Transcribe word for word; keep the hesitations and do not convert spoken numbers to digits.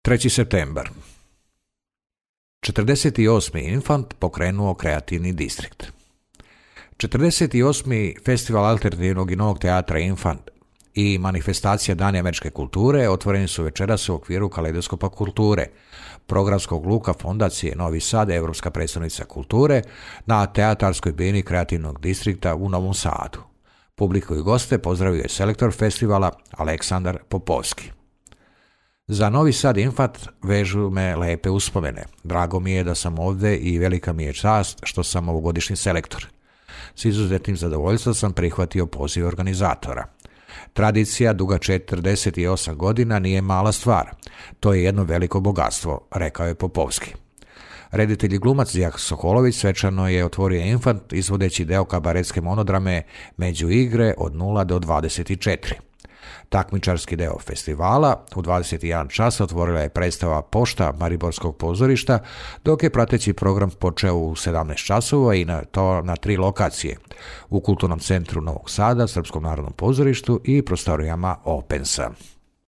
treći septembar. četrdeset osmi Infant pokrenuo kreativni distrikt. četrdeset osmi Festival alternativnog i novog teatra Infant i manifestacija Dani američke kulture otvoreni su večeras u okviru Kaleidoskopa kulture, programskog luka Fondacije Novi Sad, Europska predstavnica kulture, na teatarskoj bini kreativnog distrikta u Novom Sadu. Publiku i goste pozdravio je selektor festivala Aleksandar Popovski. Za Novi Sad Infant vežu me lepe uspomene. Drago mi je da sam ovdje i velika mi je čast što sam ovogodišnji selektor. S izuzetnim zadovoljstvom sam prihvatio poziv organizatora. Tradicija duga četrdeset osam godina nije mala stvar. To je jedno veliko bogatstvo, rekao je Popovski. Reditelj i glumac Zijak Sokolović svečano je otvorio Infant izvodeći deo kabaretske monodrame Među igre od nula do dvadeset četiri. Takmičarski deo festivala u dvadeset jedan čas otvorila je predstava Pošta Mariborskog pozorišta, dok je prateći program počeo u sedamnaest časova i na to na tri lokacije: u Kulturnom centru Novog Sada, Srpskom narodnom pozorištu i prostorijama Opensa.